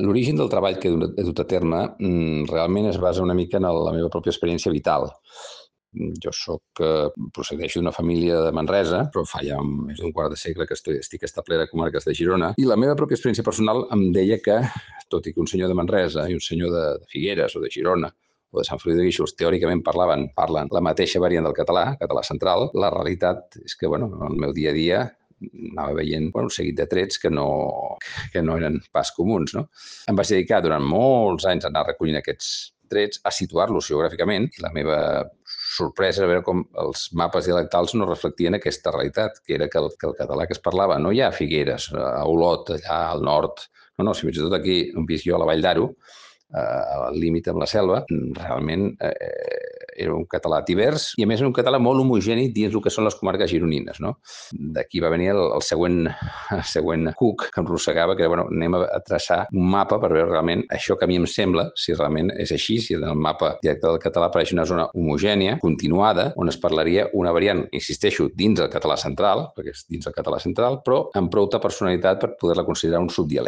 L'origen del treball que he dut a terme realment es basa una mica en la meva pròpia experiència vital. Procedeixo d'una família de Manresa, però fa ja més d'un quart de segle que estic establert a comarques de Girona, i la meva pròpia experiència personal em deia que, tot i que un senyor de Manresa i un senyor de Figueres o de Girona o de Sant Feliu de Guíxols teòricament parlen la mateixa variant del català central, la realitat és que, en el meu dia a dia anava veient un seguit de trets que no eren pas comuns, no? Em vaig dedicar durant molts anys a anar recollint aquests trets, a situar-los geogràficament, i la meva sorpresa era veure com els mapes dialectals no reflectien aquesta realitat, que era que el català que es parlava no ja a Figueres, a Olot, allà al nord, no, si fins i tot aquí on visc jo, a la Vall d'Aro, al límit amb la selva, realment era un català divers i, a més, un català molt homogeni dins el que són les comarques gironines, no? D'aquí va venir el següent cuc que em rossegava, que era, anem a traçar un mapa per veure realment això que a mi em sembla, si realment és així, si en el mapa dialectal del català apareix una zona homogènia, continuada, on es parlaria una variant, insisteixo, dins el català central, perquè és dins el català central, però amb prou personalitat per poder-la considerar un subdialecte.